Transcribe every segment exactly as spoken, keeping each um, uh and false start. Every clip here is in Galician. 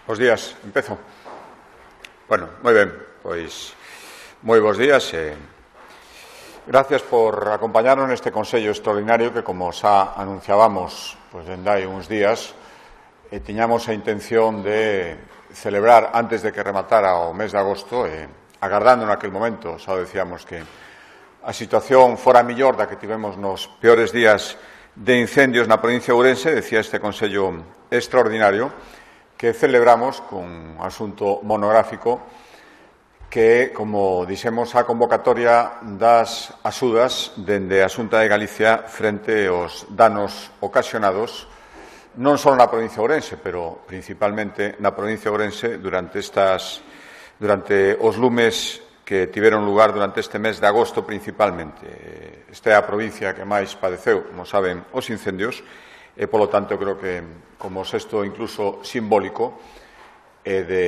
Bos días, empezo. Bueno, moi ben, pois moi bons días e gracias por acompañarnos neste Consello Extraordinario que, como xa anunciábamos pois dende hai uns días, e tiñamos a intención de celebrar antes de que rematara o mes de agosto e agardando naquel momento, xa decíamos que a situación fora millor da que tivemos nos peores días de incendios na provincia de Ourense, decía este Consello Extraordinario, que celebramos cun asunto monográfico que, como dixemos, a convocatoria das axudas dende a Xunta de Galicia frente aos danos ocasionados non só na provincia de Ourense, pero principalmente na provincia de Ourense durante estas durante os lumes que tiveron lugar durante este mes de agosto principalmente. Esta é a provincia que máis padeceu, como saben, os incendios e, polo tanto, creo que como xesto incluso simbólico e de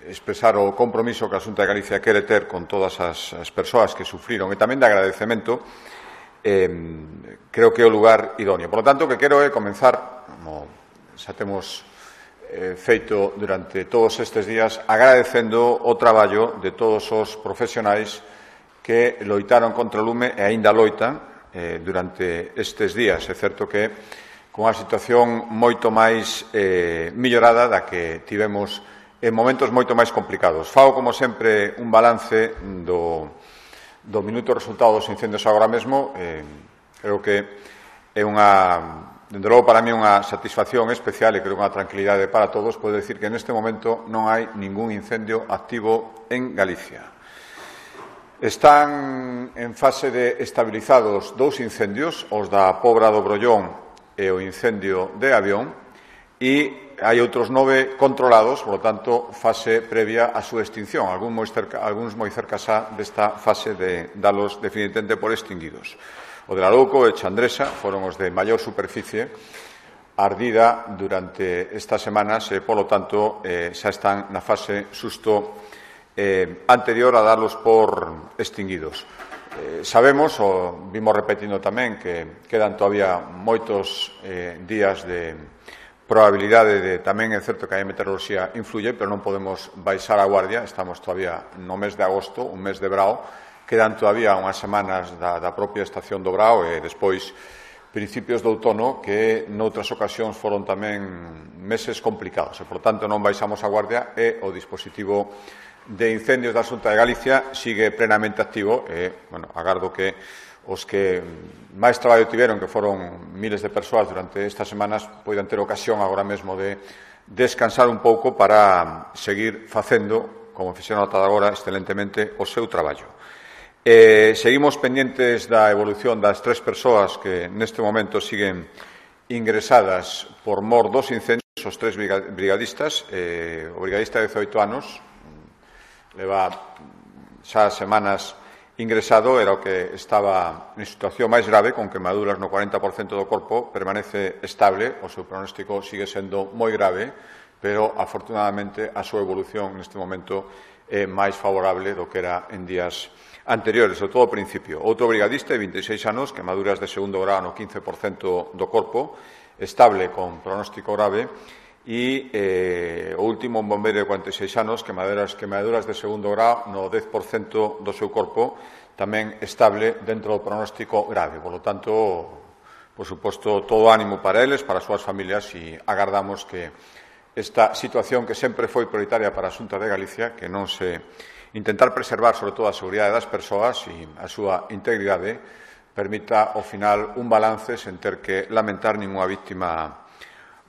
expresar o compromiso que a Xunta de Galicia quere ter con todas as, as persoas que sufriron e tamén de agradecemento, eh, creo que é o lugar idóneo. Por lo tanto, o que quero é comenzar, como xa temos eh, feito durante todos estes días, agradecendo o traballo de todos os profesionais que loitaron contra o lume e aínda loitan eh, durante estes días. É certo que con a situación moito máis eh, millorada da que tivemos en momentos moito máis complicados. Fago, como sempre, un balance do, do minuto resultado dos incendios agora mesmo. Eh, creo que é unha, dende logo, para mí unha satisfacción especial e creo unha tranquilidade para todos poder decir que neste momento non hai ningún incendio activo en Galicia. Están en fase de estabilizados dous incendios, os da Pobra do Brollón e o incendio de Avión, e hai outros nove controlados, por lo tanto, fase previa á súa extinción, algúns moi cerca, algúns moi cerca xa desta fase de dalos definitivamente por extinguidos. O de Larouco e Chandresa foron os de maior superficie ardida durante estas semanas e, polo tanto, eh, xa están na fase susto eh, anterior a darlos por extinguidos. Eh, sabemos, o vimos repetindo tamén, que quedan todavía moitos eh, días de probabilidade de, tamén é certo que a meteoroloxía influye, pero non podemos baixar a guardia, estamos todavía no mes de agosto, un mes de brao, quedan todavía unhas semanas da, da propia estación do brao e despois principios do outono que noutras ocasións foron tamén meses complicados e, por tanto, non baixamos a guardia e o dispositivo de incendios da Xunta de Galicia sigue plenamente activo e, bueno, agardo que os que máis traballo tiveron, que foron miles de persoas durante estas semanas, poidan ter ocasión agora mesmo de descansar un pouco para seguir facendo, como fixeron ata agora, excelentemente o seu traballo. Eh, seguimos pendientes da evolución das tres persoas que neste momento siguen ingresadas por mor dos incendios, os tres brigadistas. Eh, o brigadista de dezoito anos leva xa semanas ingresado, era o que estaba en situación máis grave, con quemaduras no cuarenta por cento do corpo, permanece estable, o seu pronóstico sigue sendo moi grave, pero, afortunadamente, a súa evolución neste momento é máis favorable do que era en días anteriores, sobre todo ao principio. Outro brigadista de vinte e seis anos, quemaduras de segundo grado no quince por cento do corpo, estable con pronóstico grave, e eh, o último, un bombeiro de cuarenta e seis anos, quemaduras, quemaduras de segundo grado no dez por cento do seu corpo, tamén estable dentro do pronóstico grave. Por lo tanto, por suposto, todo ánimo para eles, para as súas familias, e agardamos que esta situación que sempre foi prioritaria para a Xunta de Galicia, que non se intentar preservar, sobre todo, a seguridade das persoas e a súa integridade, permita, ao final, un balance sen ter que lamentar ninguna víctima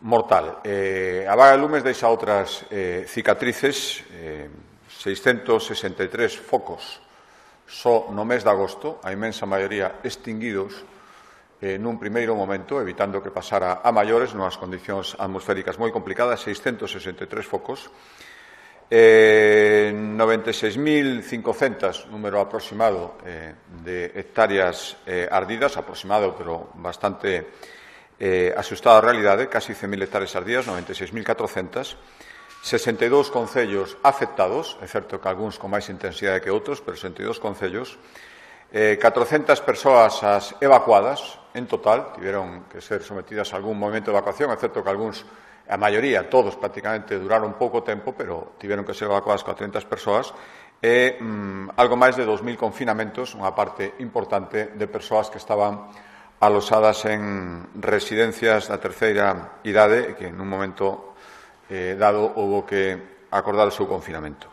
mortal. Eh, a vaga de lumes deixa outras eh, cicatrices, eh, seiscentos sesenta e tres focos só no mes de agosto, a inmensa maioría extinguidos eh, nun primeiro momento, evitando que pasara a maiores, nunhas condicións atmosféricas moi complicadas, seiscentos sesenta e tres focos, eh, noventa e seis mil cincocentos, número aproximado eh, de hectáreas eh, ardidas, aproximado, pero bastante eh, asustado a realidade, casi cen mil hectáreas ardidas, noventa e seis mil catrocentos, sesenta e dous concellos afectados, é certo que algúns con máis intensidade que outros, pero sesenta e dous concellos, eh, catrocentas persoas as evacuadas, en total, tiveron que ser sometidas a algún movimento de evacuación, é certo que algúns a maioría, todos prácticamente, duraron pouco tempo, pero tiveron que ser evacuadas cuatrocentas persoas, e mm, algo máis de dos mil confinamentos, unha parte importante de persoas que estaban alosadas en residencias da terceira idade, que en un momento eh, dado houve que acordar o seu confinamento.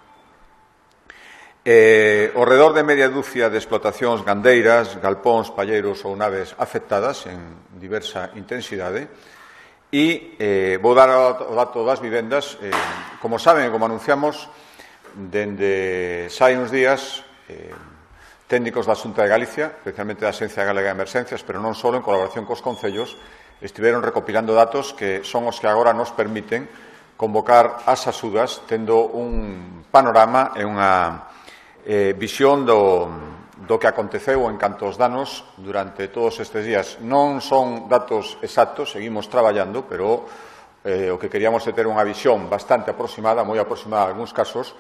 Eh, ao redor de media dúcia de explotacións gandeiras, galpóns, palleiros ou naves afectadas en diversa intensidade, e eh, vou dar o dato das vivendas. Eh, como saben e como anunciamos, dende xa hai uns días, eh, técnicos da Xunta de Galicia, especialmente da Axencia Galega de Emerxencias, pero non só, en colaboración cos concellos, estiveron recopilando datos que son os que agora nos permiten convocar as axudas tendo un panorama e unha eh, visión do, do que aconteceu en canto aos danos durante todos estes días. Non son datos exactos, seguimos traballando, pero eh, o que queríamos é ter unha visión bastante aproximada, moi aproximada en algúns casos,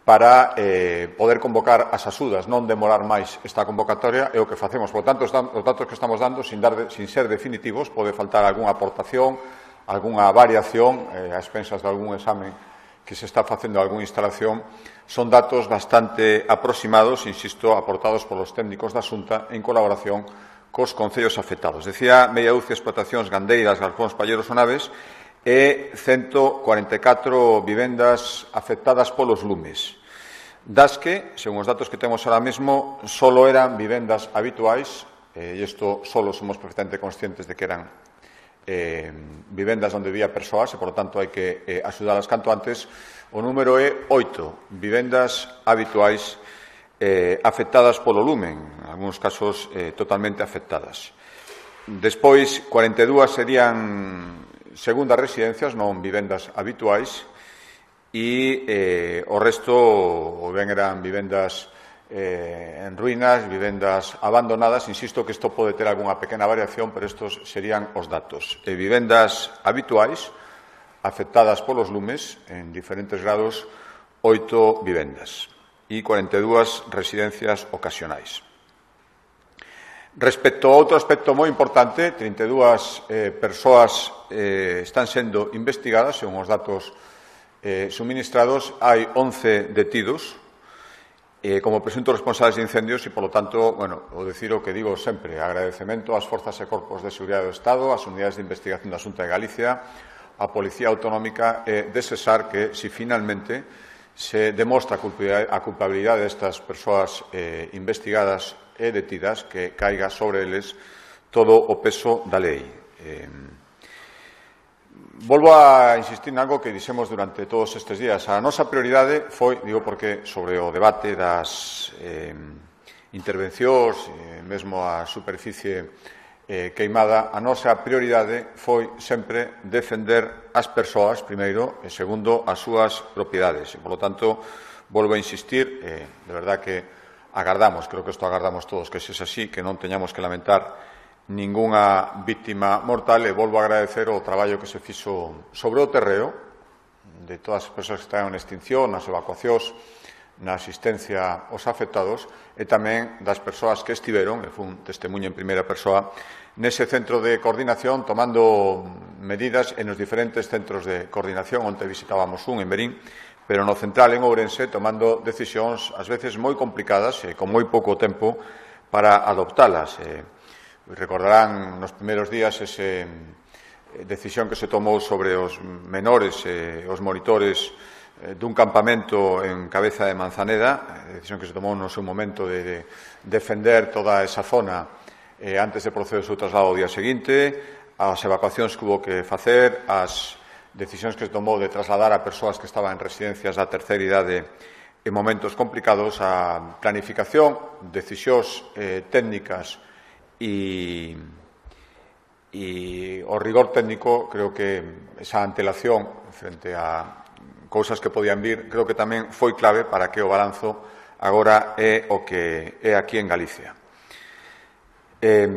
para eh, poder convocar as axudas, non demorar máis esta convocatoria, é o que facemos. Por tanto, os datos que estamos dando, sin, dar de, sin ser definitivos, pode faltar algunha aportación, algunha variación, eh, a expensas de algún examen que se está facendo algunha instalación. Son datos bastante aproximados, insisto, aportados polos técnicos da Xunta en colaboración cos concellos afectados. Decía media dúcia de explotacións gandeiras, galpóns, palleiros ou naves, e ciento cuarenta e catro vivendas afectadas polos lumes, das que, según os datos que temos ahora mesmo, solo eran vivendas habituais, e isto solo somos perfectamente conscientes de que eran eh, vivendas onde vivía persoas, e, por lo tanto, hai que eh, axudalas canto antes. O número é oito vivendas habituais eh, afectadas polo lumen, en algúns casos eh, totalmente afectadas. Despois, cuarenta e dúas serían segundas residencias, non vivendas habituais, e eh, o resto ou ben eran vivendas eh, en ruínas, vivendas abandonadas. Insisto que isto pode ter algunha pequena variación, pero estos serían os datos. E vivendas habituais afectadas polos lumes en diferentes grados, oito vivendas e cuarenta e dúas residencias ocasionais. Respecto a outro aspecto moi importante, trinta e dúas eh, persoas eh, están sendo investigadas, según os datos eh, suministrados. Hai once detidos eh, como presuntos responsables de incendios e, polo tanto, bueno, o decir o que digo sempre, agradecemento ás forzas e corpos de seguridade do Estado, ás unidades de investigación da Xunta de Galicia, á Policía Autonómica e de Sesar, que, si finalmente se demostra a culpabilidade destas persoas eh, investigadas e detidas, que caiga sobre eles todo o peso da lei. Eh, volvo a insistir en algo que dixemos durante todos estes días. A nosa prioridade foi, digo porque sobre o debate das eh, intervencións, eh, mesmo a superficie eh, queimada, a nosa prioridade foi sempre defender as persoas, primeiro, e segundo, as súas propiedades. E, por lo tanto, volvo a insistir, eh, de verdad que agardamos, creo que isto agardamos todos, que se é así, que non teñamos que lamentar ningunha víctima mortal, e volvo a agradecer o traballo que se fixo sobre o terreo de todas as persoas que están en extinción, nas evacuacións, na asistencia aos afectados, e tamén das persoas que estiveron, e foi un testemunho en primeira persoa, nese centro de coordinación, tomando medidas en os diferentes centros de coordinación, onde visitábamos un en Verín, pero no central en Ourense, tomando decisións ás veces moi complicadas e con moi pouco tempo para adoptalas. Eh, recordarán nos primeiros días ese eh, decisión que se tomou sobre os menores e eh, os monitores eh, dun campamento en Cabeza de Manzaneda, eh, decisión que se tomou no seu momento de, de defender toda esa zona eh, antes de proceder o seu traslado ao día seguinte, as evacuacións que hubo que facer, as decisións que se tomou de trasladar a persoas que estaban en residencias da terceira idade en momentos complicados, a planificación, decisións eh, técnicas e, e o rigor técnico. Creo que esa antelación frente a cousas que podían vir, creo que tamén foi clave para que o balanzo agora é o que é aquí en Galicia. Eh,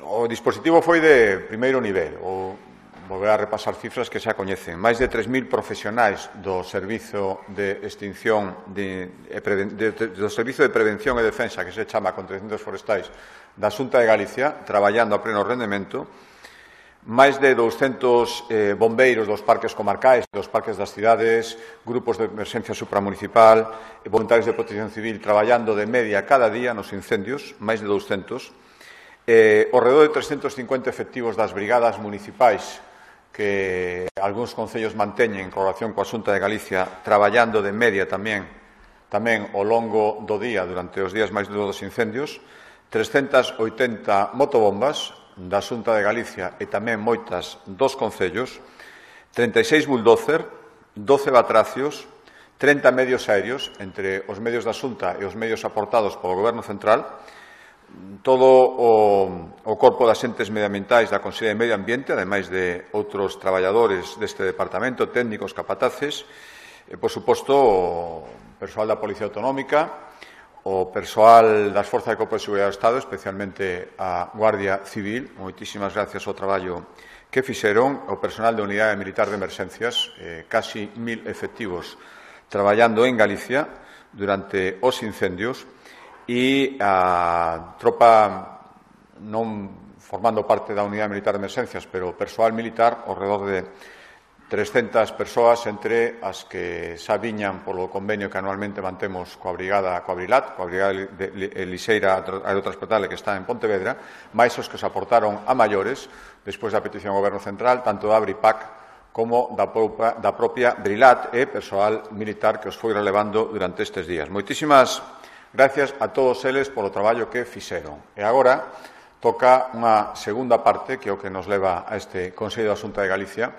o dispositivo foi de primeiro nivel, o volver a repasar cifras que xa coñecen. Máis de tres mil profesionais do Servizo de Extinción de, de, de, do Servizo de Prevención e Defensa, que se chama contra incendios forestais da Xunta de Galicia, traballando a pleno rendemento. máis de douscentos eh, bombeiros dos parques comarcais, dos parques das cidades, grupos de emerxencia supramunicipal, voluntarios de protección civil traballando de media cada día nos incendios, máis de douscentos, eh, ao redor de trescentos cincuenta efectivos das brigadas municipais que algúns concellos manteñen en colaboración coa Xunta de Galicia, traballando de media tamén tamén ao longo do día durante os días máis duros dos incendios, trescentas oitenta motobombas da Xunta de Galicia e tamén moitas dos concellos, treinta e seis bulldozer, doce batracios, trinta medios aéreos, entre os medios da Xunta e os medios aportados polo Goberno Central, todo o, o corpo de axentes medioambientais da Consellería de Medio Ambiente, ademais de outros traballadores deste departamento, técnicos, capataces, e, por suposto, o persoal da Policía Autonómica, o persoal das Forzas de Corpo de Seguridade do Estado, especialmente a Guardia Civil, moitísimas gracias ao traballo que fixeron, o personal da Unidade Militar de Emerxencias, eh, casi mil efectivos traballando en Galicia durante os incendios, e a tropa non formando parte da Unidade Militar de Emerxencias, pero o persoal militar, ao redor de trescentas persoas, entre as que xa viñan polo convenio que anualmente mantemos coa Brigada coa Brilat, coa Brigada de Lixeira Aerotransportable que está en Pontevedra, máis os que se aportaron a maiores, despois da petición ao Goberno Central, tanto da Bripac como da propia, da propia Brilat e persoal militar que os foi relevando durante estes días. Moitísimas gracias a todos eles polo traballo que fixeron. E agora toca unha segunda parte, que é o que nos leva a este Consello da Xunta de Galicia,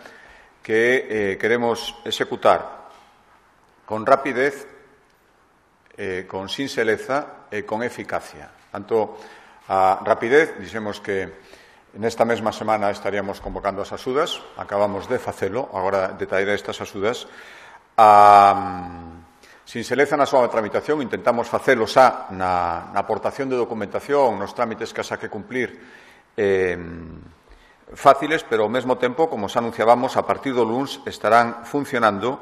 que eh, queremos executar con rapidez, eh, con sinxeleza e con eficacia. Tanto a rapidez, dixemos que nesta mesma semana estaríamos convocando as axudas, acabamos de facelo, agora detallaré estas axudas. A sinxeleza na súa tramitación, intentamos facelo xa na, na aportación de documentación, nos trámites que xa que cumplir eh, fáciles, pero ao mesmo tempo, como xa anunciábamos, a partir do luns estarán funcionando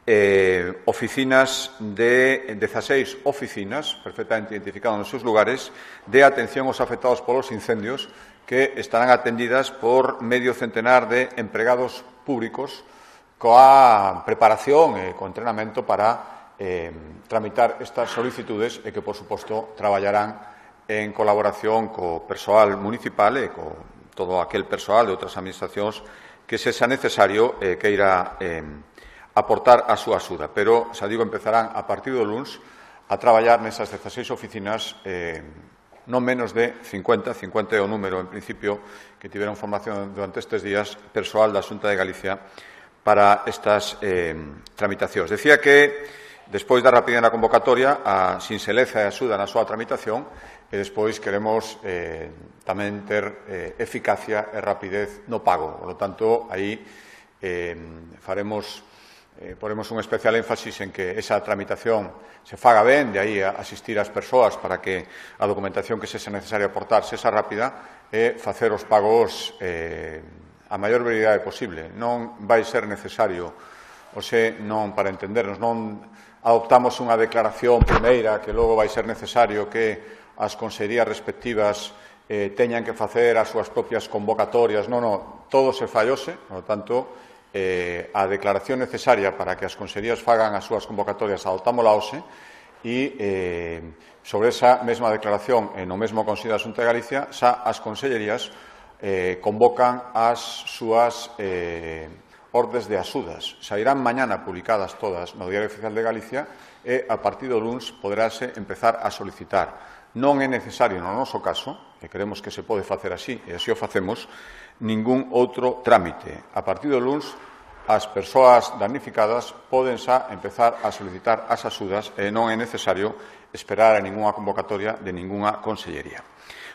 eh, oficinas de dezaseis oficinas, perfectamente identificadas nos seus lugares, de atención aos afectados polos incendios, que estarán atendidas por medio centenar de empregados públicos coa preparación e co entrenamento para Eh, tramitar estas solicitudes e que, por suposto, traballarán en colaboración co persoal municipal e co todo aquel persoal de outras administracións que sexa necesario eh, que irá eh, aportar a súa axuda. Pero, xa digo, empezarán a partir do luns a traballar nesas dezaseis oficinas eh, non menos de cincuenta, cincuenta é o número, en principio, que tiveron formación durante estes días persoal da Xunta de Galicia para estas eh, tramitacións. Decía que despois da rapidez na convocatoria, a sinxeleza e a axuda na súa tramitación, e despois queremos eh, tamén ter eh, eficacia e rapidez no pago. Por lo tanto, aí eh, faremos, eh, poremos un especial énfasis en que esa tramitación se faga ben, de aí a asistir ás persoas para que a documentación que sexa necesaria aportar sexa rápida e facer os pagos eh, a maior brevidade posible. Non vai ser necesario, ou se non, para entendernos, non adoptamos unha declaración primeira que logo vai ser necesario que as consellerías respectivas eh, teñan que facer as súas propias convocatorias. Non, non, todo se fallose, por lo tanto, eh, a declaración necesaria para que as consellerías fagan as súas convocatorias adoptámola hoxe e eh, sobre esa mesma declaración e no mesmo Consello da Xunta de Galicia xa as consellerías eh, convocan as súas eh, ordes de axudas. Sairán mañana publicadas todas no Diario Oficial de Galicia e a partir do luns poderase empezar a solicitar. Non é necesario, no noso caso, e queremos que se pode facer así, e así o facemos, ningún outro trámite. A partir do luns, as persoas damnificadas poden xa empezar a solicitar as axudas e non é necesario esperar a ningunha convocatoria de ningunha consellería.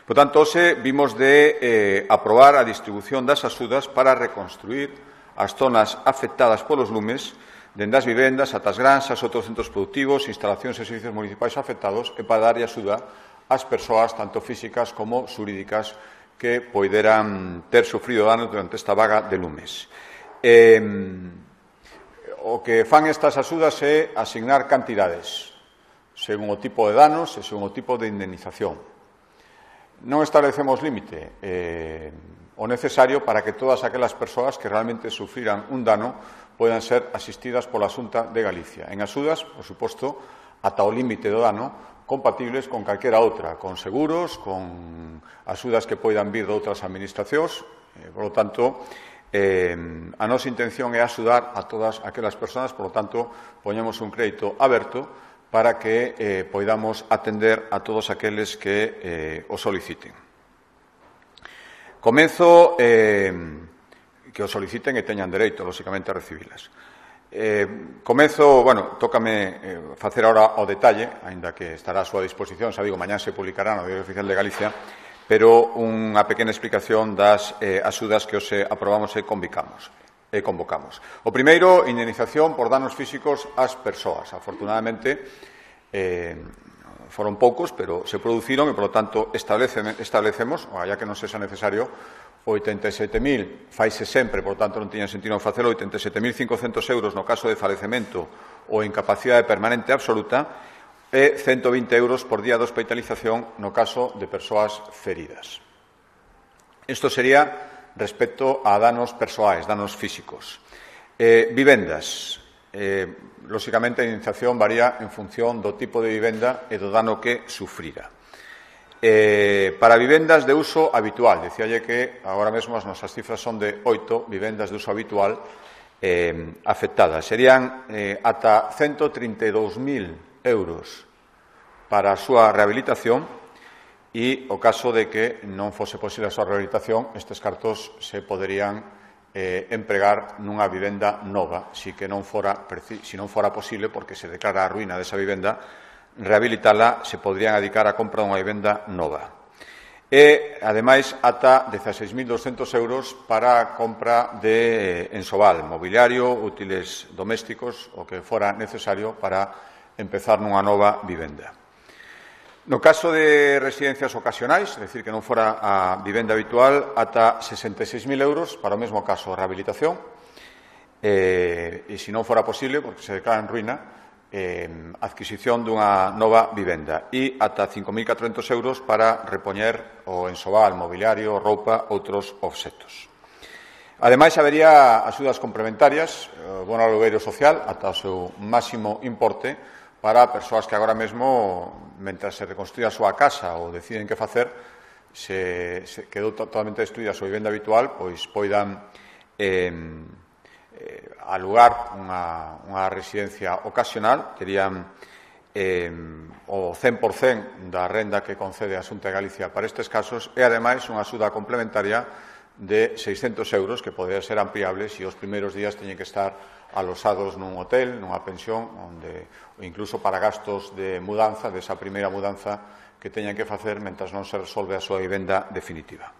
Por tanto, hoxe vimos de eh, aprobar a distribución das axudas para reconstruir as zonas afectadas polos lumes, dende as vivendas ata as granxas, outros centros productivos, instalacións e servicios municipais afectados e para darlle axuda ás persoas, tanto físicas como xurídicas, que poideran ter sufrido danos durante esta vaga de lumes. Eh, o que fan estas axudas é asignar cantidades, según o tipo de danos e según o tipo de indemnización. Non establecemos límite. Eh, o necesario para que todas aquelas persoas que realmente sufriran un dano poidan ser asistidas pola Xunta de Galicia. En axudas, por suposto, ata o límite do dano, compatibles con calquera outra, con seguros, con axudas que poidan vir de outras administracións. Eh, por lo tanto, eh, a nosa intención é axudar a todas aquelas persoas, por lo tanto, poñemos un crédito aberto para que eh, poidamos atender a todos aqueles que eh, o soliciten. Comenzo eh, que o soliciten e teñan dereito, lóxicamente, a recibilas. Eh, comenzo, bueno, tócame eh, facer ahora o detalle, aínda que estará a súa disposición, xa digo, mañán se publicará no Diario Oficial de Galicia, pero unha pequena explicación das eh, axudas que hoxe aprobamos e convocamos. E convocamos. O primeiro, indemnización por danos físicos ás persoas. Afortunadamente, eh, foron poucos, pero se produciron e, por lo tanto, establecemos, ya que non sexa necesario, oitenta e sete mil, faise sempre, por tanto non tiña sentido facelo, oitenta e sete mil cincocentos euros no caso de falecemento ou incapacidade permanente absoluta e ciento vinte euros por día de hospitalización no caso de persoas feridas. Isto sería respecto a danos persoais, danos físicos. Eh, vivendas. Eh, lóxicamente, a indemnización varía en función do tipo de vivenda e do dano que sufrira. Eh, para vivendas de uso habitual, decíalle que agora mesmo as nosas cifras son de oito vivendas de uso habitual eh, afectadas. Serían eh, ata ciento trinta e dous mil euros para a súa rehabilitación e, o caso de que non fose posible a súa rehabilitación, estes cartos se poderían eh, empregar nunha vivenda nova, si que non fora, si non fora posible, porque se declara a ruína desa vivenda, rehabilitala se podrían adicar a compra dunha vivenda nova. E, ademais, ata dezaseis mil doscentos euros para a compra de ensobal, mobiliario, útiles domésticos, o que fora necesario para empezar nunha nova vivenda. No caso de residencias ocasionais, é dicir, que non fora a vivenda habitual, ata sesenta e seis mil euros para o mesmo caso, rehabilitación, e, e se non fora posible, porque se declara en ruína, Eh, adquisición dunha nova vivenda e ata cinco mil catrocentos euros para repoñer o ensobal, mobiliario, roupa, outros obxectos. Ademais, habería axudas complementarias, eh, bono alugueiro social, ata o seu máximo importe, para persoas que agora mesmo, mentras se reconstrúe a súa casa ou deciden que facer, se, se quedou totalmente destruída a súa vivenda habitual, pois poidan eh, Eh, alugar unha, unha residencia ocasional, terían eh, o cen por cen da renda que concede a Xunta de Galicia para estes casos e, ademais, unha axuda complementaria de seiscentos euros que podría ser ampliable se os primeiros días teñen que estar alosados nun hotel, nunha pensión, onde, ou incluso para gastos de mudanza, desa primeira mudanza que teñan que facer mentras non se resolve a súa vivenda definitiva.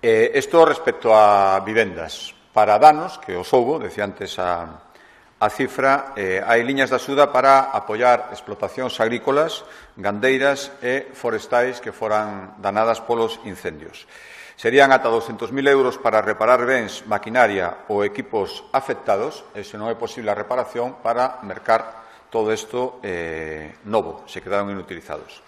Eh, isto respecto a vivendas. Para danos, que os houbo, decía antes a, a cifra, eh, hai liñas de axuda para apoiar explotacións agrícolas, gandeiras e forestais que foran danadas polos incendios. Serían ata douscentos mil euros para reparar bens, maquinaria ou equipos afectados, e se non é posible a reparación, para mercar todo isto eh, novo, se quedaron inutilizados.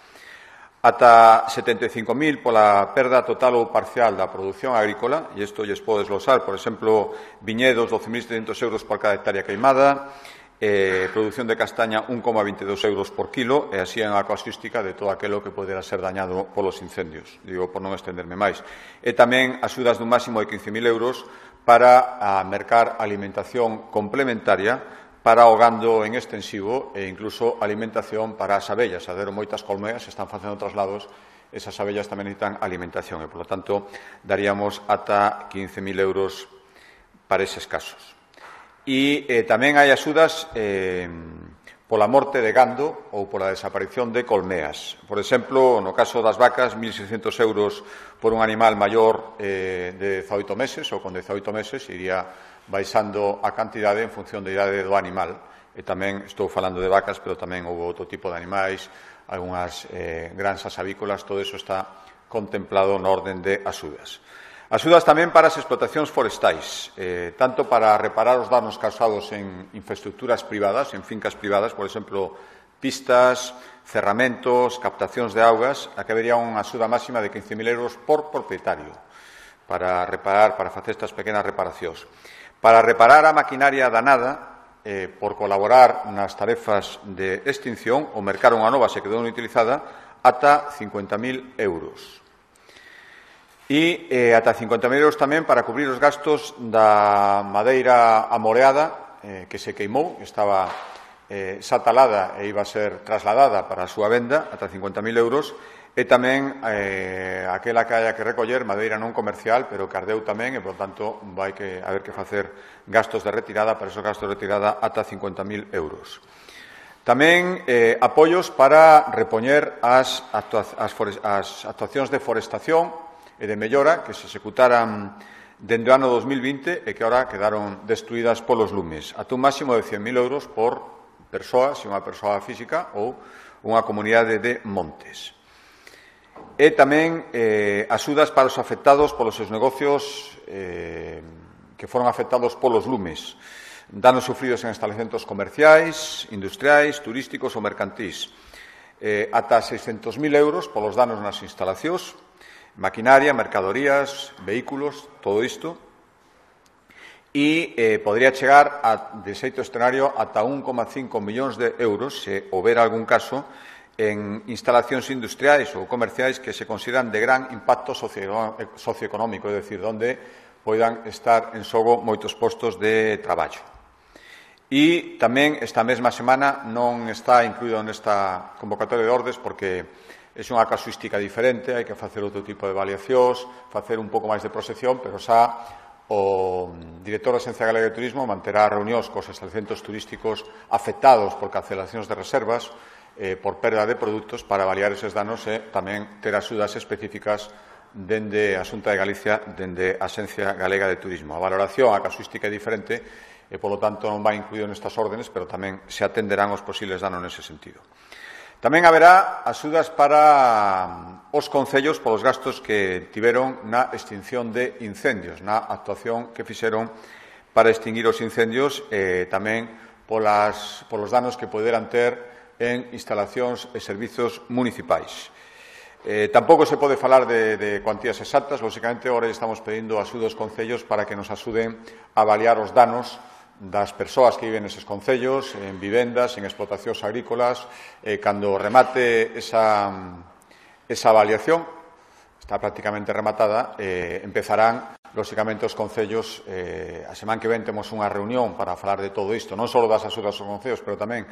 Ata setenta e cinco mil pola perda total ou parcial da produción agrícola, e isto lles pode desglosar, por exemplo, viñedos, doce mil setecentos euros por cada hectárea queimada, eh, produción de castaña, un coma veintidós euros por kilo, e así en a casuística de todo aquilo que podera ser dañado polos incendios, digo, por non estenderme máis. E tamén axudas dun máximo de quince mil euros para a mercar alimentación complementaria para o gando en extensivo e incluso alimentación para as abellas. A deron moitas colmeas, se están facendo traslados, esas abellas tamén necesitan alimentación e, por lo tanto, daríamos ata quince mil euros para eses casos. E eh, tamén hai axudas eh, pola morte de gando ou pola desaparición de colmeas. Por exemplo, no caso das vacas, mil seiscentos euros por un animal maior eh, de dezaoito meses ou con dezaoito meses, iría baixando a cantidade en función da idade do animal. E tamén estou falando de vacas, pero tamén houve outro tipo de animais, algunhas eh, granxas avícolas, todo eso está contemplado no orden de axudas. Axudas tamén para as explotacións forestais, eh, tanto para reparar os danos causados en infraestructuras privadas, en fincas privadas, por exemplo, pistas, cerramentos, captacións de augas, a que habería unha axuda máxima de quince mil euros por propietario para reparar, para facer estas pequenas reparacións. Para reparar a maquinaria danada, eh, por colaborar nas tarefas de extinción, ou mercar unha nova se quedou inutilizada, ata cincuenta mil euros. E eh, ata cincuenta mil euros tamén para cubrir os gastos da madeira amoreada eh, que se queimou, que estaba eh, xa talada e iba a ser trasladada para a súa venda, ata cincuenta mil euros, e tamén eh, aquela que haya que recoller madeira non comercial, pero que ardeu tamén, e, por tanto, vai que haber que facer gastos de retirada, para esos gastos de retirada, ata cincuenta mil euros. Tamén eh, apoios para repoñer as, actua as, as actuacións de forestación e de mellora que se executaran dende o ano dos mil vinte e que agora quedaron destruídas polos lumes, ata un máximo de cen mil euros por persoa, se unha persoa física ou unha comunidade de montes. E tamén eh, axudas para os afectados polos seus negocios eh, que foron afectados polos lumes, danos sufridos en estabelecementos comerciais, industriais, turísticos ou mercantís, eh, ata seiscentos mil euros polos danos nas instalacións, maquinaria, mercadorías, vehículos, todo isto, e eh, podría chegar a, de xeito escenario ata un coma cinco millóns de euros se houbera algún caso en instalacións industriais ou comerciais que se consideran de gran impacto socioeconómico, é dicir, onde poidan estar en xogo moitos postos de traballo. E tamén esta mesma semana non está incluído nesta convocatoria de ordes porque é unha casuística diferente, hai que facer outro tipo de avaliacións, facer un pouco máis de proxección, pero xa o director da Axencia Galega de Turismo manterá reunións cos estabelecementos turísticos afectados por cancelacións de reservas eh, por perda de produtos para avaliar eses danos e tamén ter axudas específicas dende a Xunta de Galicia, dende a Axencia Galega de Turismo. A valoración, a casuística é diferente e, polo tanto, non vai incluído nestas órdenes, pero tamén se atenderán os posibles danos nese sentido. Tamén haberá axudas para os concellos polos gastos que tiveron na extinción de incendios, na actuación que fixeron para extinguir os incendios e tamén polas, polos danos que poderan ter en instalacións e servizos municipais. Eh, tampouco se pode falar de, de cuantías exactas, lóxicamente, agora estamos pedindo axuda aos concellos para que nos axuden a avaliar os danos das persoas que viven neses concellos, en vivendas, en explotacións agrícolas, eh, cando remate esa, esa avaliación, está prácticamente rematada, eh, empezarán, lóxicamente, os concellos, eh, a semana que ven temos unha reunión para falar de todo isto, non só das axudas aos concellos, pero tamén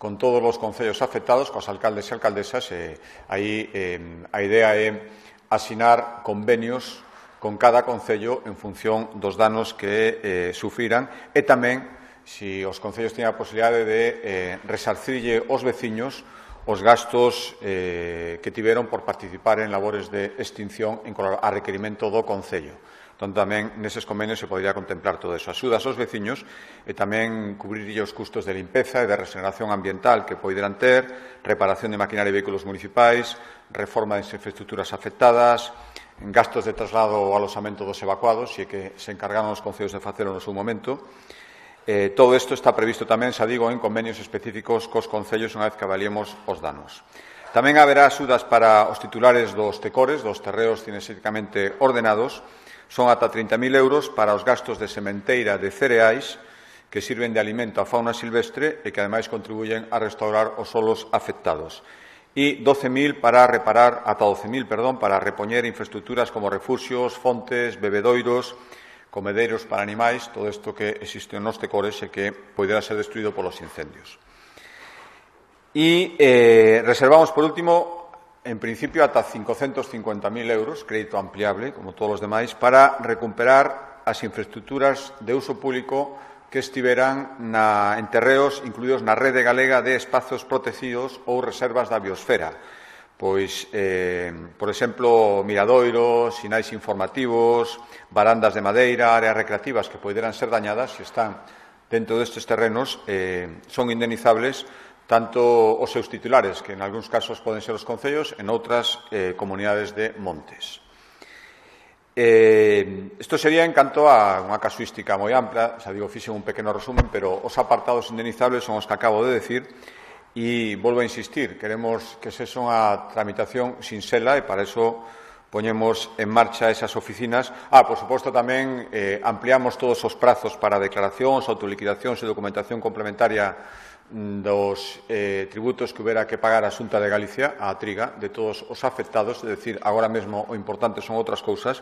con todos os concellos afectados, cos alcaldes e alcaldesas, e aí eh, a idea é asinar convenios con cada concello en función dos danos que eh, sufriran e tamén se os concellos teñen a posibilidade de eh, resarcirlle aos veciños os gastos eh, que tiveron por participar en labores de extinción en a requerimento do concello. Entón, tamén neses convenios se podría contemplar todo eso. Axudas aos veciños e tamén cubrirlle os custos de limpeza e de regeneración ambiental que poderán ter, reparación de maquinaria e vehículos municipais, reforma das infraestructuras afectadas, en gastos de traslado ou alosamento dos evacuados, e que se encargaron os concellos de facelo no seu momento. Eh, todo isto está previsto tamén, xa digo, en convenios específicos cos concellos unha vez que avaliemos os danos. Tamén haberá axudas para os titulares dos tecores, dos terreos cinexéticamente ordenados, son ata trinta mil euros para os gastos de sementeira de cereais que sirven de alimento á fauna silvestre e que, ademais, contribuyen a restaurar os solos afectados. E doce mil para reparar, ata doce mil, perdón, para repoñer infraestructuras como refuxios, fontes, bebedoiros, comedeiros para animais, todo isto que existe nos tecores e que poderá ser destruído polos incendios. E eh, reservamos, por último, en principio, ata cincocentos cincuenta mil euros, crédito ampliable, como todos os demais, para recuperar as infraestructuras de uso público que estiveran na, en terreos incluídos na rede galega de espazos protegidos ou reservas da biosfera. Pois, eh, por exemplo, miradoiros, sinais informativos, barandas de madeira, áreas recreativas que poderan ser dañadas se están dentro destes terrenos, eh, son indemnizables tanto os seus titulares, que en algúns casos poden ser os concellos, en outras eh, comunidades de montes. Eh, isto sería en canto a unha casuística moi ampla, xa digo, fixen un pequeno resumen, pero os apartados indemnizables son os que acabo de decir, e volvo a insistir, queremos que sexa unha tramitación sinxela e para eso poñemos en marcha esas oficinas. Ah, por suposto, tamén eh, ampliamos todos os prazos para declaracións, autoliquidacións e documentación complementaria dos eh, tributos que hubiera que pagar a Xunta de Galicia, a triga, de todos os afectados, é dicir, agora mesmo o importante son outras cousas.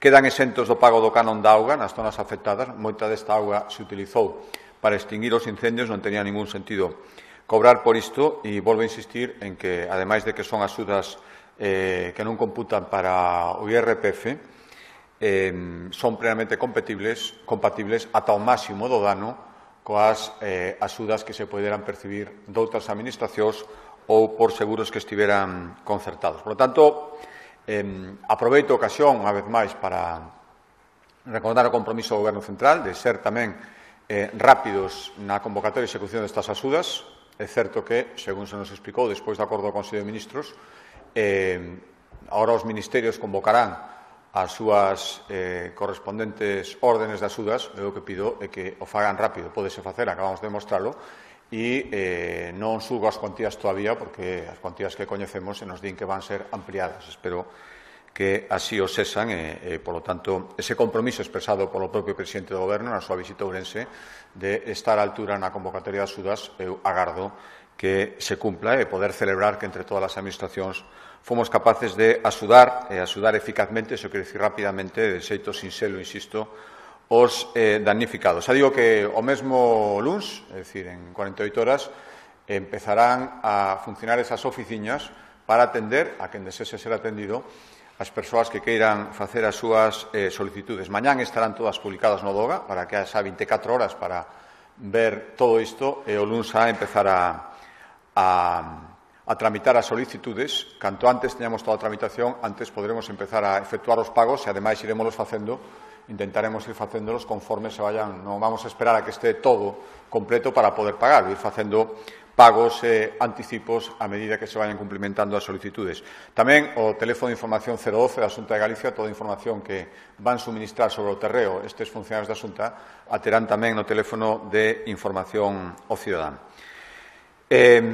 Quedan exentos do pago do canon da auga nas zonas afectadas. Moita desta auga se utilizou para extinguir os incendios, non tenía ningún sentido cobrar por isto, e volvo a insistir en que, ademais de que son axudas eh, que non computan para o I R P F, eh, son plenamente compatibles, compatibles ata o máximo do dano coas eh, axudas que se poderan percibir doutras administracións ou por seguros que estiveran concertados. Por lo tanto, eh, aproveito a ocasión, unha vez máis, para recordar o compromiso do Goberno Central de ser tamén eh, rápidos na convocatoria e execución destas axudas. É certo que, según se nos explicou despois do acordo do Consello de Ministros, eh, agora os ministerios convocarán as súas eh, correspondentes órdenes de axudas. Eu o que pido é que o fagan rápido, pódese facer, acabamos de demostralo, e eh, non subo as cuantías todavía, porque as cuantías que coñecemos se nos din que van ser ampliadas. Espero que así o sesan e, e, polo tanto, ese compromiso expresado polo propio presidente do Goberno na súa visita a Ourense de estar á altura na convocatoria de axudas, eu agardo que se cumpla e poder celebrar que entre todas as administracións fomos capaces de axudar, e axudar eficazmente, se quero dicir rapidamente, de xeito sinxelo, insisto, os eh, damnificados. Xa digo que o mesmo luns, é dicir, en cuarenta e oito horas, empezarán a funcionar esas oficinas para atender a quen desese ser atendido as persoas que queiran facer as súas eh, solicitudes. Mañán estarán todas publicadas no DOGA para que haxa vinte e catro horas para ver todo isto e o luns a empezar a, a a tramitar as solicitudes. Canto antes teñamos toda a tramitación, antes podremos empezar a efectuar os pagos e, ademais, iremos facendo, intentaremos ir facéndolos conforme se vayan. Non vamos a esperar a que este todo completo para poder pagar, ir facendo pagos e anticipos a medida que se vayan cumplimentando as solicitudes. Tamén o teléfono de información cero doce da Xunta de Galicia, toda a información que van suministrar sobre o terreo estes funcionarios da Xunta, a terán tamén no teléfono de información ao cidadán. Eh,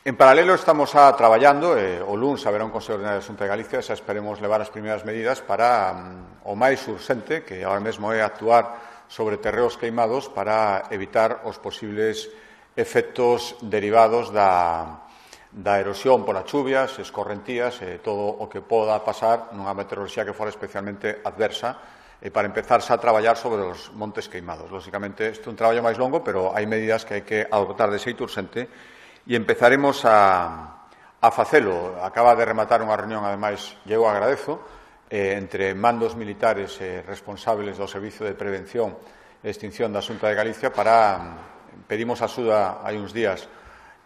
En paralelo, estamos a traballando, eh, o luns haberá un Consello Ordinario da Xunta de Galicia, xa esperemos levar as primeiras medidas para um, o máis urxente, que agora mesmo é actuar sobre terreos queimados para evitar os posibles efectos derivados da, da erosión polas chuvias, escorrentías e todo o que poda pasar nunha meteoroloxía que fora especialmente adversa, e para empezar xa a traballar sobre os montes queimados. Lóxicamente, isto é un traballo máis longo, pero hai medidas que hai que adoptar de xeito urxente e empezaremos a, a facelo. Acaba de rematar unha reunión, ademais, e eu agradezo, eh, entre mandos militares e responsables do Servicio de Prevención e Extinción da Xunta de Galicia para, pedimos axuda hai uns días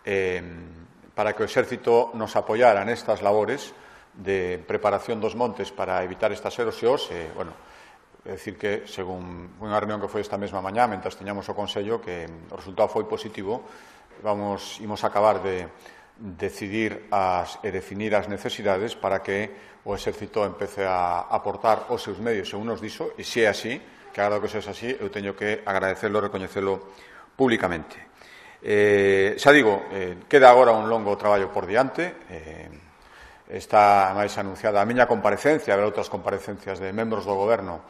eh, para que o Exército nos apoiara nestas labores de preparación dos montes para evitar estas erosións. E, bueno, é dicir que, según unha reunión que foi esta mesma mañá, mentre teñamos o Consello, que o resultado foi positivo. Vamos, imos acabar de decidir as, e definir as necesidades para que o Exército empece a aportar os seus medios según nos dixo, e se é así, que agora que sexa así, eu teño que agradecelo e recoñecelo públicamente. Eh, xa digo, eh, queda agora un longo traballo por diante. Eh, está máis anunciada a miña comparecencia, haber outras comparecencias de membros do Goberno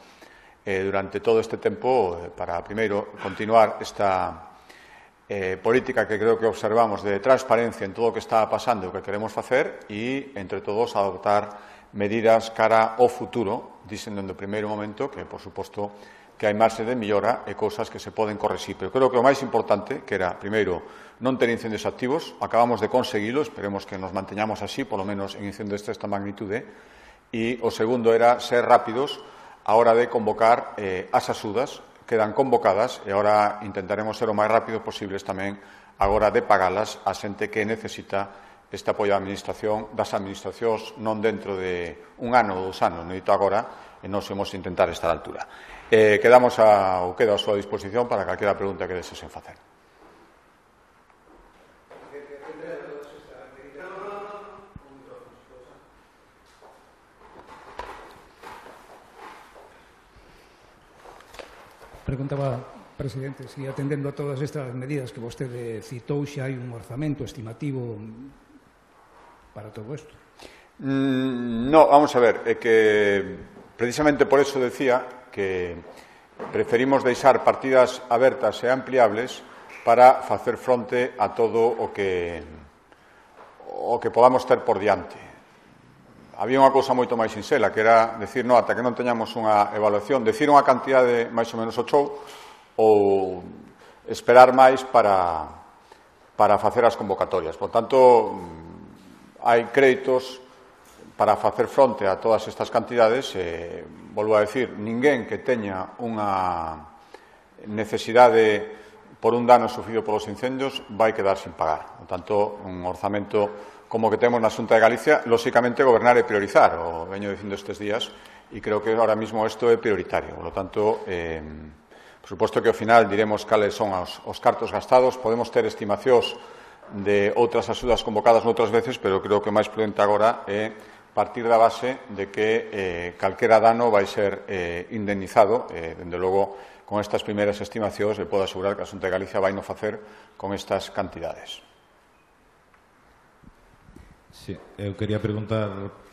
eh, durante todo este tempo eh, para, primeiro, continuar esta Eh, política que creo que observamos de transparencia en todo o que está pasando e o que queremos facer, e, entre todos, adoptar medidas cara ao futuro, dicen dende o primeiro momento que, por suposto, que hai marxe de mellora e cousas que se poden correxir. Pero creo que o máis importante, que era, primeiro, non ter incendios activos, acabamos de conseguilo, esperemos que nos manteñamos así, polo menos en incendios desta magnitude, e o segundo era ser rápidos a hora de convocar eh, as axudas. Quedan convocadas e agora intentaremos ser o máis rápido posibles tamén agora de pagalas a xente que necesita este apoio da administración, das administracións, non dentro de un ano ou dous anos, necesito agora, e nos imos intentar estar á altura. Eh, quedamos a, ou quedo a súa disposición para calquera pregunta que desesen facer. Preguntaba Presidente, si atendendo a todas estas medidas que vostede citou, xa hai un orzamento estimativo para todo isto? Mm, no, vamos a ver, é que precisamente por eso decía que preferimos deixar partidas abertas e ampliables para facer fronte a todo o que o que podamos ter por diante. Había unha cousa moito máis sinxela, que era decir, no, ata que non teñamos unha evaluación, decir unha cantidade máis ou menos o chou, ou esperar máis para, para facer as convocatorias. Por tanto, hai créditos para facer fronte a todas estas cantidades. Eh, volvo a decir, ninguén que teña unha necesidade por un dano sufrido polos incendios vai quedar sin pagar. Por tanto, un orzamento como que temos na Xunta de Galicia, lóxicamente, gobernar e priorizar. O veño dicindo estes días, e creo que ahora mismo isto é prioritario. Por lo tanto, eh, por suposto que ao final diremos cales son os, os cartos gastados. Podemos ter estimacións de outras axudas convocadas noutras veces, pero creo que o máis prudente agora é partir da base de que eh, calquera dano vai ser eh, indemnizado. Eh, dende logo, con estas primeiras estimacións, le podo asegurar que a Xunta de Galicia vai no facer con estas cantidades. Sí, eu quería preguntar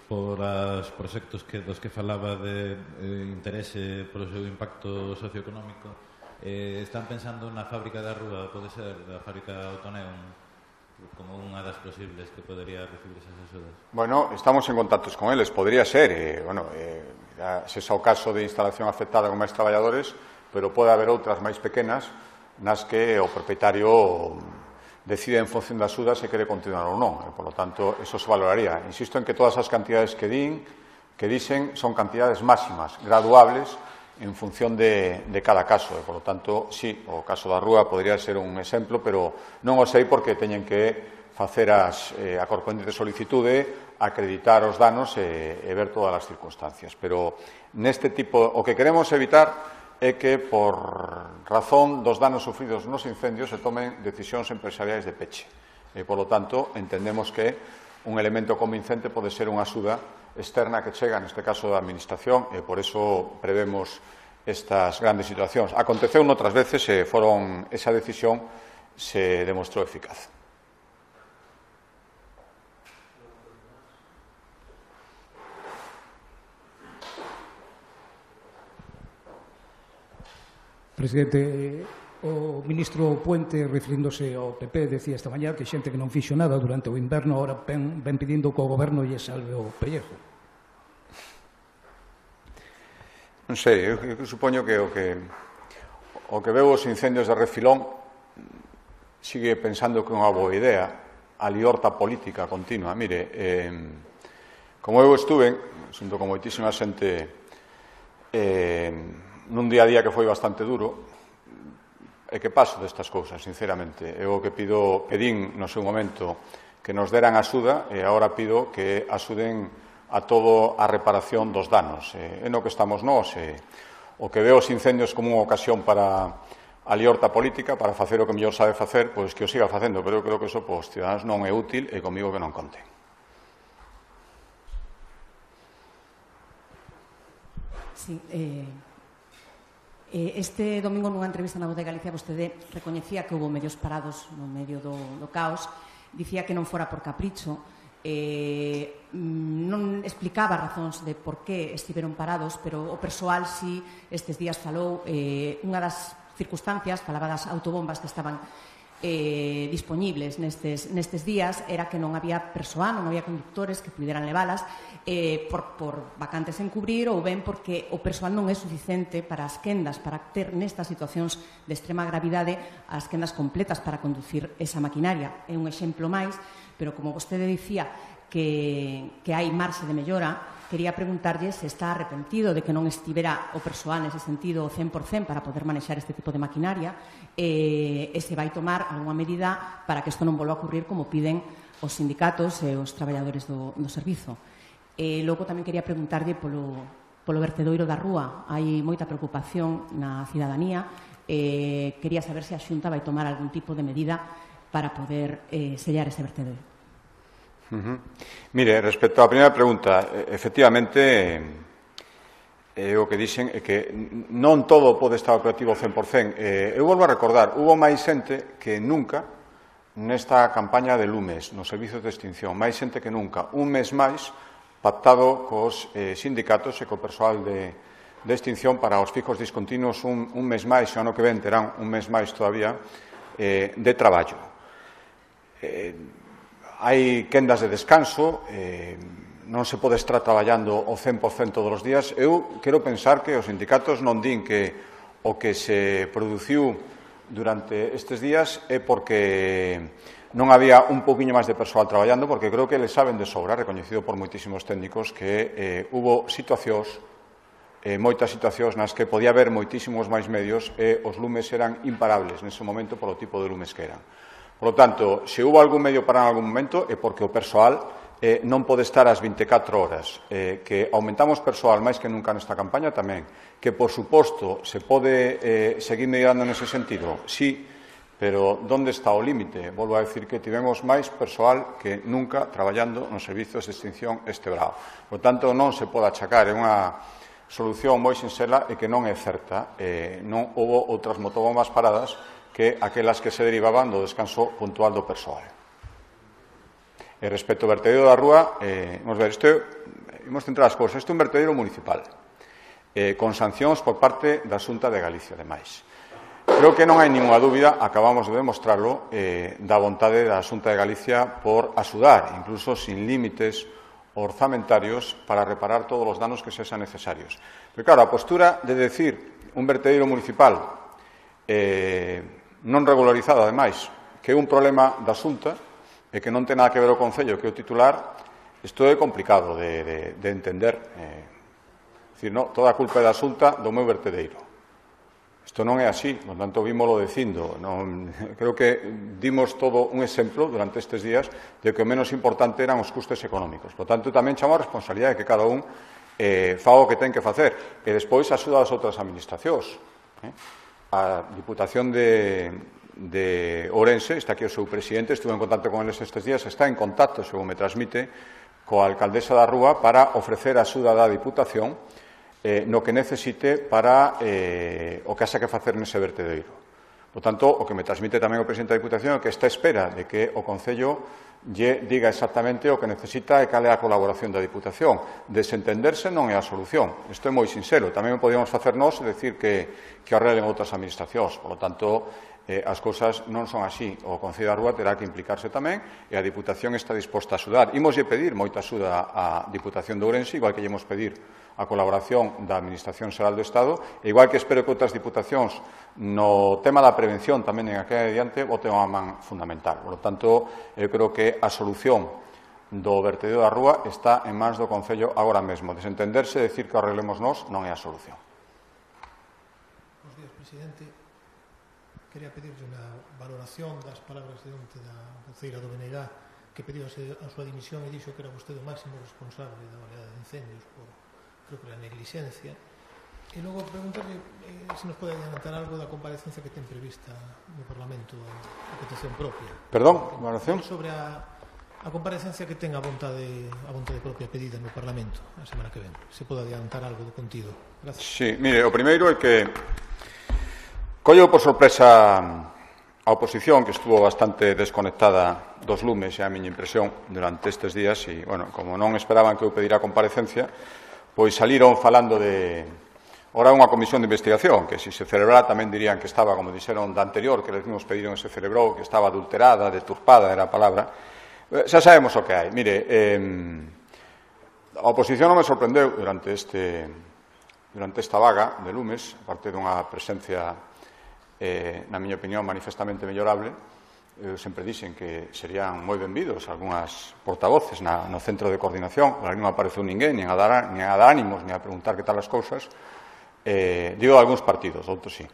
por os proxectos que, dos que falaba de eh, interese polo seu impacto socioeconómico. Eh, están pensando na fábrica da Rúa, pode ser, da fábrica Autoneum, como unha das posibles que podería recibir esas axudas? Bueno, estamos en contactos con eles, podría ser, eh, bueno, eh, se xa o caso de instalación afectada con máis traballadores, pero pode haber outras máis pequenas nas que o propietario decide en función das axudas se quere continuar ou non. E, por lo tanto, eso se valoraría. Insisto en que todas as cantidades que din, que dicen, son cantidades máximas, graduables, en función de, de cada caso. E, por lo tanto, sí, o caso da Rúa podría ser un exemplo, pero non o sei porque teñen que facer as, eh, a correspondente solicitude, acreditar os danos e, e ver todas as circunstancias. Pero neste tipo, o que queremos evitar é que, por razón dos danos sufridos nos incendios, se tomen decisións empresariais de peche. E, por lo tanto, entendemos que un elemento convincente pode ser unha axuda externa que chega, neste caso, da Administración, e por eso prevemos estas grandes situacións. Aconteceu noutras veces e foron, esa decisión se demostrou eficaz. Presidente, o ministro Puente, referíndose ao P P, decía esta mañá que xente que non fixo nada durante o inverno ahora ven, ven pedindo que o goberno lle salve o pellejo. Non sei, eu, eu supoño que o que o que veo os incendios de refilón sigue pensando que é unha boa idea a liorta política continua. Mire, eh, como eu estuve xunto con moitísima xente eh, nun día a día que foi bastante duro, e que paso destas cousas, sinceramente. Eu o que pido, pedín no seu momento que nos deran axuda, e agora pido que axuden a todo a reparación dos danos. E no que estamos nós, e o que veo os incendios como unha ocasión para a liorta política, para facer o que mellor sabe facer, pois que o siga facendo, pero eu creo que iso para os ciudadanos non é útil e comigo que non conten. Sí, eh... Este domingo, nunha entrevista na Voz de Galicia, vostede recoñecía que houve medios parados no medio do, do caos, dicía que non fora por capricho, eh, non explicaba razóns de por que estiveron parados, pero o persoal si estes días falou, eh, unha das circunstancias, falaba das autobombas que estaban eh, disponibles nestes, nestes días, era que non había persoal, non había conductores que puderan leválas eh, por, por vacantes en cubrir ou ben porque o persoal non é suficiente para as quendas, para ter nestas situacións de extrema gravidade as quendas completas para conducir esa maquinaria. É un exemplo máis, pero como vostede dicía que, que hai marxe de mellora, quería preguntarlle se está arrepentido de que non estivera o persoal nese sentido cen por cen para poder manexar este tipo de maquinaria e, e se vai tomar algunha medida para que isto non volva a ocurrir como piden os sindicatos e os traballadores do, do servizo. E logo tamén quería preguntarlle polo, polo vertedoiro da Rúa. Hai moita preocupación na cidadanía e quería saber se a Xunta vai tomar algún tipo de medida para poder eh, sellar ese vertedoiro. Uh-huh. Mire, respecto á primeira pregunta, efectivamente E o que dixen é que non todo pode estar operativo ao cen por cen. Eh, eu volvo a recordar, hubo máis xente que nunca nesta campaña de lumes, nos servizos de extinción, máis xente que nunca, un mes máis pactado cos eh, sindicatos e co persoal de, de extinción para os fijos discontinuos un, un mes máis, e o ano que ven terán un mes máis todavía eh, de traballo. Eh, hai quendas de descanso, eh, non se pode estar traballando o cen por cen todos os días. Eu quero pensar que os sindicatos non din que o que se produciu durante estes días é porque non había un pouquiño máis de persoal traballando, porque creo que le saben de sobra, recoñecido por moitísimos técnicos, que eh, hubo situacións, eh, moitas situacións nas que podía haber moitísimos máis medios e os lumes eran imparables nese momento polo tipo de lumes que eran. Por lo tanto, se hubo algún medio para en algún momento é porque o persoal eh, non pode estar ás vinte e catro horas. Eh, que aumentamos persoal máis que nunca nesta campaña tamén. Que, por suposto, se pode eh, seguir mellorando nese sentido? Sí, pero onde está o límite? Volvo a decir que tivemos máis persoal que nunca traballando nos servizos de extinción este brao. Por tanto, non se pode achacar, é unha solución moi sinxela e que non é certa. Eh, non houve outras motobombas paradas que aquelas que se derivaban do descanso puntual do persoal. E respecto ao vertedero da rúa, eh, vamos ver, isto, imos centrar as cousas, isto é un vertedero municipal, eh, con sancións por parte da Xunta de Galicia, ademais. Creo que non hai ninguna dúbida, acabamos de demostrarlo, eh, da vontade da Xunta de Galicia por axudar, incluso sin límites orzamentarios, para reparar todos os danos que sexan necesarios. Pero claro, a postura de decir un vertedero municipal eh, non regularizado, ademais, que é un problema da Xunta e que non ten nada que ver o Concello, que é o titular, isto é complicado de, de, de entender. Eh, decir, no, toda a culpa é da Xunta do meu vertedeiro. Isto non é así, por tanto, vímolo dicindo. Non, creo que dimos todo un exemplo durante estes días de que o menos importante eran os custes económicos. Por tanto, tamén chamo a responsabilidade de que cada un eh, faga o que ten que facer e despois axuda as outras administracións. Eh? A Diputación de, de Ourense, está aquí o seu presidente, estuve en contacto con eles estes días, está en contacto, según me transmite, coa alcaldesa da Rúa para ofrecer a axuda da Diputación eh, no que necesite para eh, o que haxa que facer nese vertedeiro. Por tanto, o que me transmite tamén o presidente da Diputación é que está a espera de que o Concello lle diga exactamente o que necesita e cal é a colaboración da Diputación. Desentenderse non é a solución. Isto é moi sincero. Tamén podíamos facer nós e decir que, que arreglen outras administracións. Por lo tanto, eh, as cousas non son así. O Concello da Rúa terá que implicarse tamén e a Diputación está disposta a axudar. Imoslle pedir moita axuda á Diputación de Ourense, igual que lle imos pedir a colaboración da Administración Xeral do Estado, e igual que espero que outras diputacións no tema da prevención tamén en aquel adiante boten unha man fundamental. Por lo tanto, eu creo que a solución do vertedero da Rúa está en mans do Concello agora mesmo. Desentenderse e decir que o arreglemos nós non é a solución. Bos días, presidente. Quería pedirle unha valoración das palabras de onte da voceira do B N G que pediu a súa dimisión e dixo que era vostede o máximo responsable da oleada de incendios por, creo que, a negligencia. E logo preguntarle eh, se nos pode adiantar algo da comparecencia que ten prevista no Parlamento a petición propia. Perdón, valoración? Sobre a, a comparecencia que ten a vontade, a vontade propia pedida no Parlamento a semana que ven. Se pode adiantar algo do contido. Gracias. Sí, mire, o primeiro é que collo por sorpresa a oposición, que estuvo bastante desconectada dos lumes, é a miña impresión, durante estes días, e, bueno, como non esperaban que eu pedira a comparecencia, pois saliron falando de... Ora unha comisión de investigación, que se se celebrara tamén dirían que estaba, como dixeron da anterior, que les mesmos pediron e se celebrou, que estaba adulterada, deturpada, era a palabra. Xa sabemos o que hai. Mire, eh, a oposición non me sorprendeu durante este durante esta vaga de lumes, aparte dunha presencia, eh, na miña opinión, manifestamente mellorable. Eu sempre dixen que serían moi benvidos algunhas portavoces na, no centro de coordinación, pero non apareceu ninguén, nin a dar, nin a dar ánimos, nin a preguntar que tal as cousas. Eh, digo algúns partidos, outros sí.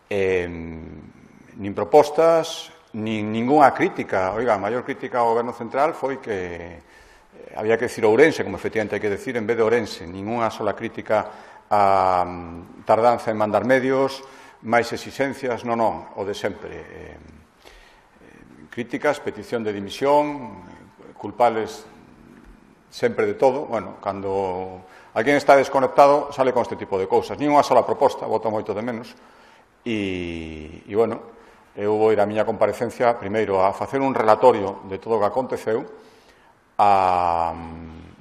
Eh, nin propostas, nin ninguna crítica. Oiga, a maior crítica ao Goberno Central foi que eh, había que decir Ourense, como efectivamente hai que decir, en vez de Ourense. Ninguna sola crítica a um, tardanza en mandar medios, máis exigencias, non, non, o de sempre. Eh, eh, críticas, petición de dimisión, culpables sempre de todo. Bueno, cando alguén está desconectado, sale con este tipo de cousas. Nin unha sola proposta, voto moito de menos. E, e bueno, eu vou ir a miña comparecencia primeiro a facer un relatorio de todo o que aconteceu, a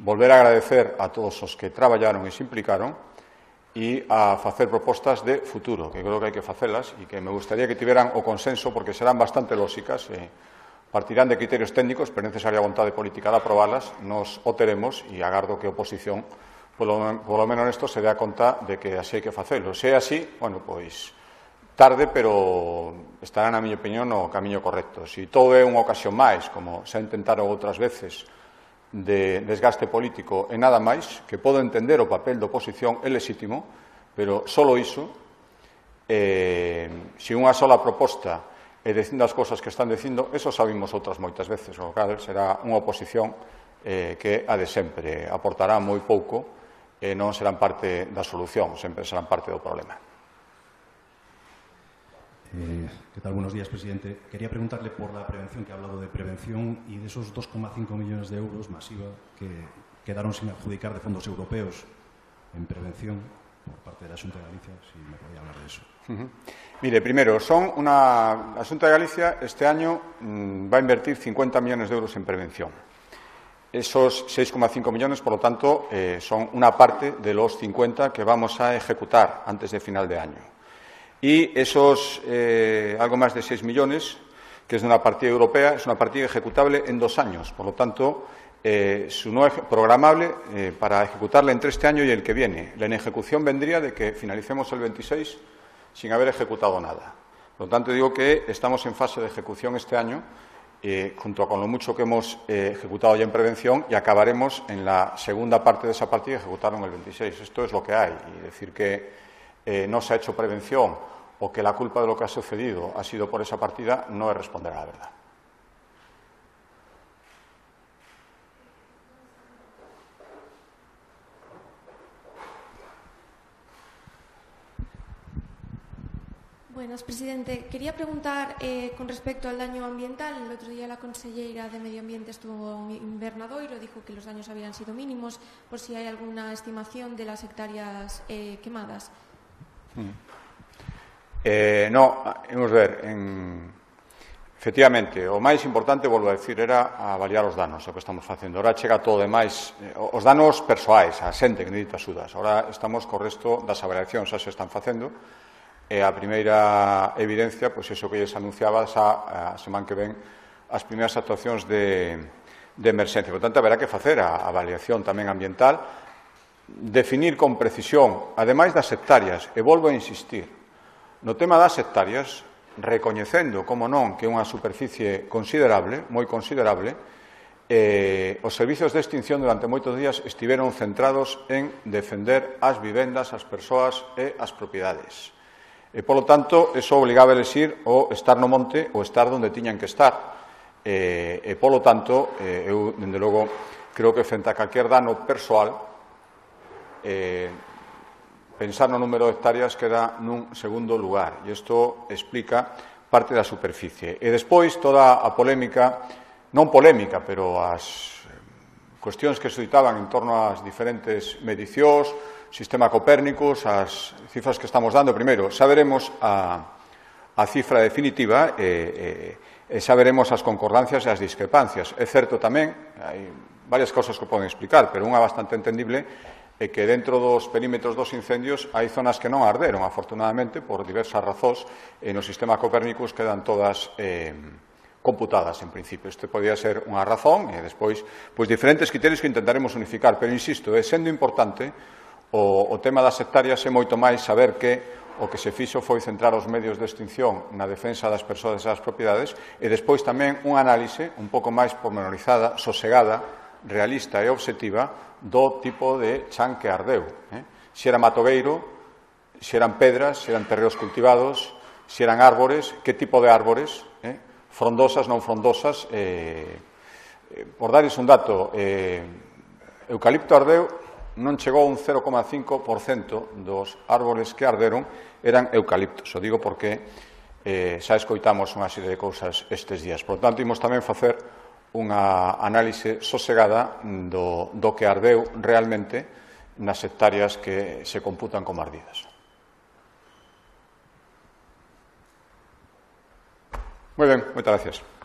volver a agradecer a todos os que traballaron e se implicaron e a facer propostas de futuro, que creo que hai que facelas e que me gustaría que tiveran o consenso porque serán bastante lóxicas, e partirán de criterios técnicos, pero é necesaria a vontade política de aprobalas, nos o teremos e agardo que a oposición, polo, polo menos nesto, se dé a conta de que así hai que facelo. Se é así, bueno, pois tarde, pero estará, na miña opinión, no camiño correcto. Se todo é unha ocasión máis, como se intentaron outras veces, de desgaste político e nada máis, que podo entender o papel da oposición, é legítimo, pero solo iso, eh, se unha sola proposta e dicindo as cousas que están dicindo, eso sabimos outras moitas veces, o cal será unha oposición eh, que a de sempre aportará moi pouco e non serán parte da solución, sempre serán parte do problema. Eh, ¿Qué tal? Buenos días, presidente. Quería preguntarle por la prevención, que ha hablado de prevención y de esos dos coma cinco millones de euros masiva que quedaron sin adjudicar de fondos europeos en prevención por parte de la Xunta de Galicia, si me podía hablar de eso. Uh-huh. Mire, primero, son una... la Xunta de Galicia este año mmm, va a invertir cincuenta millones de euros en prevención. Esos seis coma cinco millones, por lo tanto, eh, son una parte de los cincuenta que vamos a ejecutar antes de final de año. Y esos eh, algo más de seis millones, que es de una partida europea, es una partida ejecutable en dos años. Por lo tanto, eh, su no programable eh, para ejecutarla entre este año y el que viene. La inejecución vendría de que finalicemos el veintiséis sin haber ejecutado nada. Por lo tanto, digo que estamos en fase de ejecución este año, eh, junto con lo mucho que hemos eh, ejecutado ya en prevención, y acabaremos en la segunda parte de esa partida ejecutarlo en el veintiséis. Esto es lo que hay. Y decir que eh, no se ha hecho prevención o que la culpa de lo que ha sucedido ha sido por esa partida no es responder a la verdad. Buenas, presidente. Quería preguntar eh, con respecto al daño ambiental. El otro día la consellera de Medio Ambiente estuvo en Invernadoiro, dijo que los daños habían sido mínimos, por si hay alguna estimación de las hectáreas eh, quemadas. Hmm. Eh, no, vamos a ver, en... efectivamente, o máis importante, volvo a decir, era avaliar os danos, o que estamos facendo. Ahora chega todo demais, eh, os danos persoais, a xente que necesita axudas. Ahora estamos co resto das avaliacións, xa se están facendo, e a primeira evidencia, pois iso que lles anunciaba xa a semana que ven, as primeiras actuacións de, de emerxencia. Por tanto, haberá que facer a avaliación tamén ambiental, definir con precisión, ademais das hectáreas, e volvo a insistir, no tema das hectáreas, recoñecendo, como non, que é unha superficie considerable, moi considerable, eh, os servizos de extinción durante moitos días estiveron centrados en defender as vivendas, as persoas e as propiedades. E, polo tanto, eso obligaba a elegir o estar no monte ou estar onde tiñan que estar. E, e polo tanto, eh, eu, dende logo, creo que frente a calquer dano persoal, eh, pensar no número de hectáreas queda nun segundo lugar, e isto explica parte da superficie. E despois toda a polémica, non polémica, pero as cuestións que se citaban en torno ás diferentes medicións, sistema Copérnicus, as cifras que estamos dando. Primeiro, xa veremos a, a cifra definitiva e, e, e xa veremos as concordancias e as discrepancias. É certo tamén, hai varias cousas que poden explicar, pero unha bastante entendible é que dentro dos perímetros dos incendios hai zonas que non arderon, afortunadamente, por diversas razóns, e no sistema Copérnicus quedan todas eh, computadas, en principio. Este podía ser unha razón, e despois, pois, diferentes criterios que intentaremos unificar, pero, insisto, é sendo importante, o, o tema das hectáreas é moito máis saber que o que se fixo foi centrar os medios de extinción na defensa das persoas e das propiedades, e despois tamén unha análise un pouco máis pormenorizada, sosegada, realista e obxectiva do tipo de chan que ardeu. Eh? Se era matogueiro, se eran pedras, se eran terreos cultivados, se eran árbores, que tipo de árbores, eh? frondosas, non frondosas. Eh, eh, por darles un dato, eh, eucalipto ardeu non chegou a un cero coma cinco por cento dos árboles que arderon eran eucaliptos. O digo porque eh, xa escoitamos unha serie de cousas estes días. Por tanto, imos tamén facer unha análise sosegada do, do que ardeu realmente nas hectáreas que se computan como ardidas. Moi ben, moitas gracias.